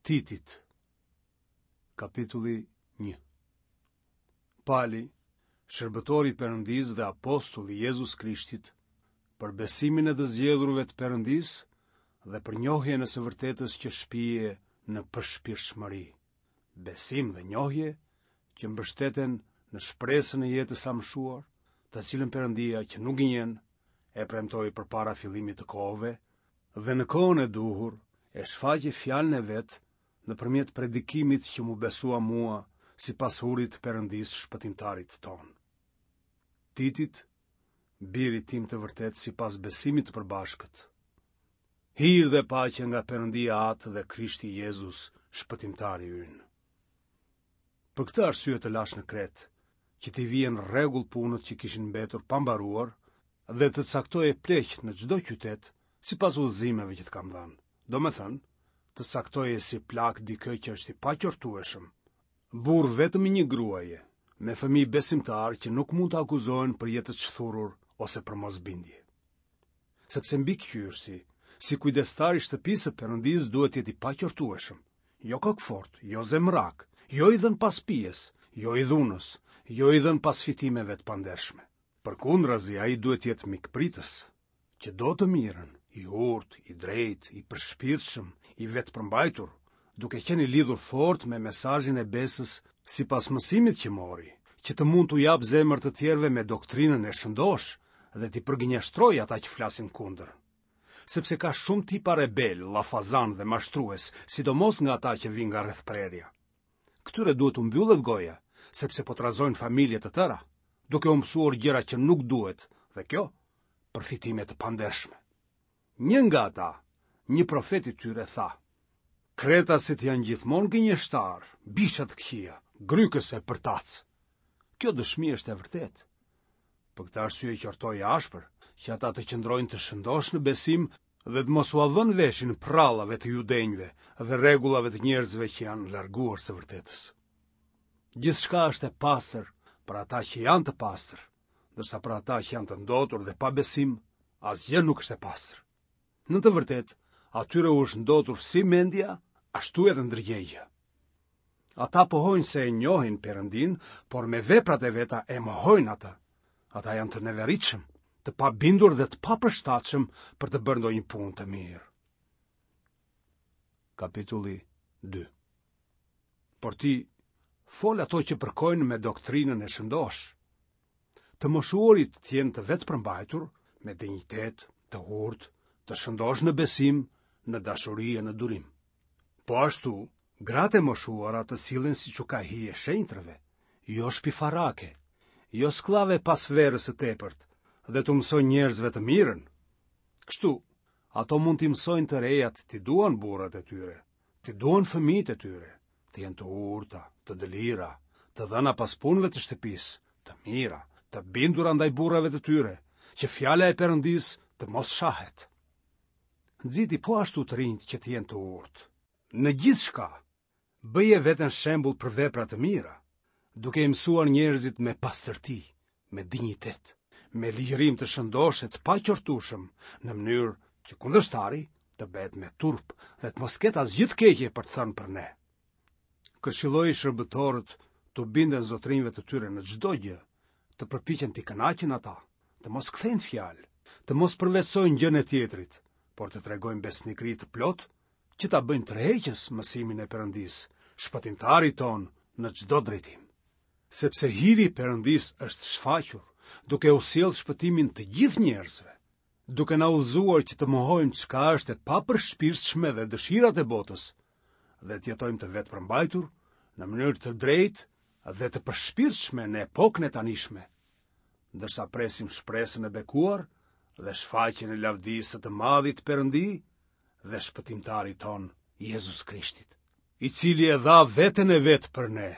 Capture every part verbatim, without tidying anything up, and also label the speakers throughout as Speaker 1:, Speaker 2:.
Speaker 1: Titit, kapitulli një. Pali, shërbëtori i Perëndisë dhe apostull i Jezus Krishtit, për besimin e të zgjedhurve të Perëndisë dhe për njohjen e së vërtetës që shpie në përshpirtshmëri, besim dhe njohje që mbështeten në shpresën e jetës së amshuar, të cilën Perëndia që nuk gënjen e premtoi përpara fillimit të kohëve dhe në kohën e duhur e shfaqi fjalën e vet nëpërmjet predikimit që m'u besua mua sipas urdhrit të Perëndisë shpëtimtarit tonë. Titit, birit tim të vërtetë sipas besimit të përbashkët. Hir dhe paqe nga Perëndia Atë dhe Krishti Jezus, shpëtimtari ynë. Për këtë arsye të lashë në Kretë, që t'i vije në rregull punët që kishin mbetur pa mbaruar dhe të caktoje pleq në çdo qytet sipas udhëzimeve që të kam dhënë. Domethënë, të caktoje si plak dikë që është i paqortueshëm, burrë vetëm i një gruaje, me fëmijë besimtarë që nuk mund të akuzohen për jetë të shthurur ose për mosbindje. Sepse mbikëqyrësi, si kujdestar i shtëpisë së Perëndisë duhet të jetë i paqortueshëm, jo kokëfortë, jo zemërak, jo i dhënë pas pijes, jo i dhunës, jo i dhënë pas fitimeve të pandershme. Përkundrazi, ai duhet të jetë mikpritës, që do të mirën, i urtë, i drejtë, i përshpirtshëm, i vetëpërmbajtur, duke qenë i lidhur fort me mesazhin e besës sipas mësimit që mori, që të mund t'u japë zemër të tjerëve me doktrinën e shëndoshë dhe t'i përgënjeshtrojë ata që flasin kundër. Sepse ka shumë tipa rebelë, llafazanë dhe mashtrues, sidomos nga ata që vijnë nga rrethprerja. Këtyre duhet t'u mbyllet goja, sepse po trazojnë familje të tëra, duke u mësuar gjëra që nuk duhet, dhe kjo për fitime të pandershme. Një nga ata, një profet i tyre tha: Kretasit janë gjithmonë gënjeshtarë, bisha të këqija, grykës e përtacë. Kjo dëshmi është e vërtetë. Për këtë arsye qortoji ashpër, që ata të qëndrojnë të shëndoshë në besim dhe të mos ua vënë veshin prrallave të judenjve dhe rregullave të njerëzve që janë larguar së vërtetës. Gjithçka është e pastër për ata që janë të pastër, ndërsa për ata që janë të ndotur dhe pa besim, asgjë nuk është e pastër. Në të vërtetë, atyre u është ndotur si mendja, ashtu edhe ndërgjegja. Ata pohojnë se e njohin Perëndinë, por me veprat e veta e mohojnë atë. Ata janë të neveritshëm, të pabindur dhe të papërshtatshëm për të bërë ndonjë punë të mirë. Kapitulli dy. Por ti fol ato që përkojnë me doktrinën e shëndoshë. Të moshuarit të jenë të vetëpërmbajtur, me dinjitet, të urtë, të shëndoshë në besim, në dashuri e në durim. Po ashtu, gratë e moshuara të sillen siç u ka hije shenjtërve, jo shpifarake, jo skllave pas verës së tepërt, dhe t'u mësojnë njerëzve të mirën. Kështu, ato mund t'i mësojnë të rejat t'i duan burrat e tyre, t'i duan fëmijët e tyre, të jenë të urta, të dëlira, të dhëna pas punëve të shtëpisë, të mira, të bindura ndaj burrave të tyre, që fjala e Perëndisë të mos shahet. Nxiti po ashtu të rinjtë që të jenë të urtë. Në gjithçka, bëje veten shembull për vepra të mira, duke i mësuar njerëzit me pastërti, me dinjitet, me ligjërim të shëndoshë e të paqortueshëm, në mënyrë që kundërshtari të bëhet me turp dhe të mos ketë asgjë të keqe për të thënë për ne. Këshilloji shërbëtorët t'u binden zotërinjve të tyre në çdo gjë, të përpiqen t'i kënaqin ata, të mos kthejnë fjalë, të mos përvetësojnë gjënë e tjetrit, por të tregojnë besnikëri të plotë që ta bëjnë tërheqës mësimin e Perëndisë, shpëtimtarit tonë në çdo drejtim. Sepse hiri i Perëndisë është shfaqur, duke u sjellë shpëtimin të gjithë njerëzve, duke na udhëzuar që të mohojmë çka është e papërshpirtshme dhe dëshirat e botës, dhe të jetojmë të vetëpërmbajtur në mënyrë të drejtë dhe të përshpirtshme në epokën e tanishme, ndërsa presim shpresën e bekuar dhe shfaqjen e lavdisë së të madhit Perëndi dhe shpëtimtarit tonë Jezus Krishtit, i cili e dha veten e vet për ne,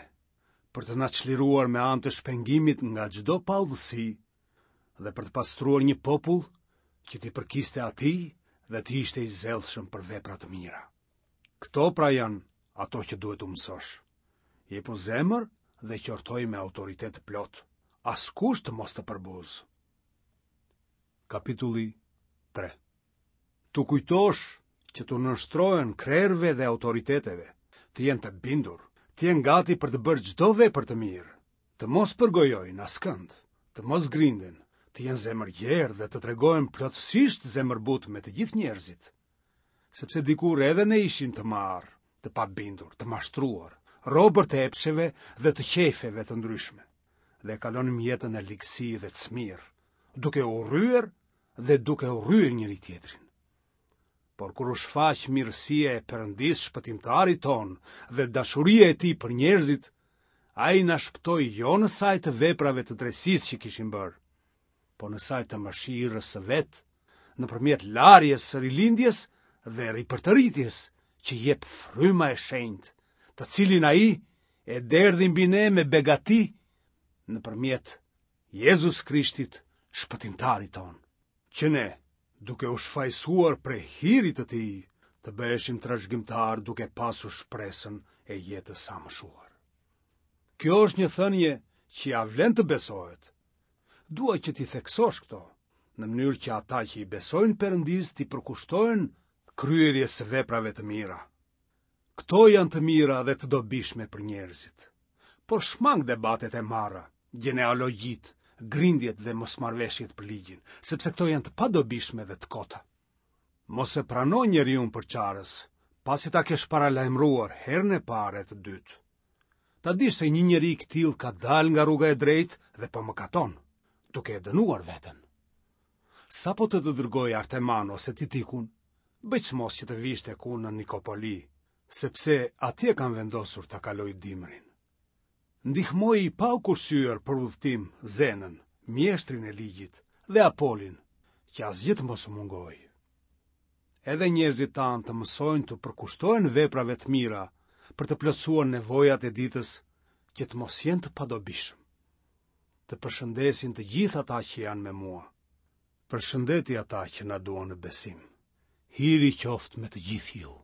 Speaker 1: për të na çliruar me anë të shpengimit nga çdo paudhësi dhe për të pastruar një popull që t'i përkiste atij dhe të ishte i zellshëm për vepra të mira. Këto pra janë ato që duhet t'u mësosh. Jepu zemër dhe qortoi me autoritet të plotë. Askush të mos të përbuzë. Kapitulli tre. T'u kujtosh që t'u nënshtrohen krerëve dhe autoriteteve, të jenë të bindur, të jenë gati për të bërë çdo vepër të mirë, të mos përgojojnë askënd, të mos grinden, të jenë zemërgjerë dhe të tregohen plotësisht zemërbutë me të gjithë njerëzit. Sepse dikur edhe ne ishim të marrë, të pabindur, të mashtruar, robër të epsheve dhe të qejfeve të ndryshme, dhe kalonim jetën në ligësi dhe cmirë, duke urryer dhe duke urryer njëri-tjetrin. Por kur u shfaq mirësia e Perëndisë shpëtimtarit tonë dhe dashuria e tij për njerëzit, ai na shpëtoi jo në sajë të veprave të drejtësisë që kishim bërë, por në sajë të mëshirës së vet, nëpërmjet larjes së rilindjes dhe ripërtëritjes që jep fryma e shenjtë, të cilin ai e derdhi mbi ne me begati nëpërmjet Jezus Krishtit, shpëtimtarit tonë, që ne, duke u shfajësuar prej hirit të tij, të bëheshim trashëgimtarë duke pasur shpresën e jetës së amshuar. Kjo është një thënie që ia vlen të besohet. Dua që t'i theksosh këto, në mënyrë që ata që i besojnë Perëndisë t'i përkushtohen kryerjes së veprave të mira. Këto janë të mira dhe të dobishme për njerëzit. Por shmang debatet e marra, gjenealogjitë, grindjet dhe mosmarrëveshjet për ligjin, sepse këto janë të padobishme dhe të kota. Mos e prano njeriun përçarës, pasi ta kesh paralajmëruar herën e parë e të dytë. Ta dish se një njeri i këtillë ka dalë nga rruga e drejtë dhe po mëkaton, duke e dënuar veten. Sapo të të dërgoj Arteman ose Titikun, bëj çmos që të vish tek unë në Nikopoli, sepse atje kam vendosur ta kaloj dimrin. Ndihmoji pa u kursyer për udhëtim Zenën, mjeshtrin e ligjit, dhe Apolin, që asgjë të mos u mungojë. Edhe njerëzit tanë të mësojnë t'u përkushtohen veprave të mira për të plotësuar nevojat e ditës, që të mos jenë të padobishëm. Të përshëndesin të gjithë ata që janë me mua. Përshëndeti ata që na duan në besim. Hiri qoftë me të gjithë ju.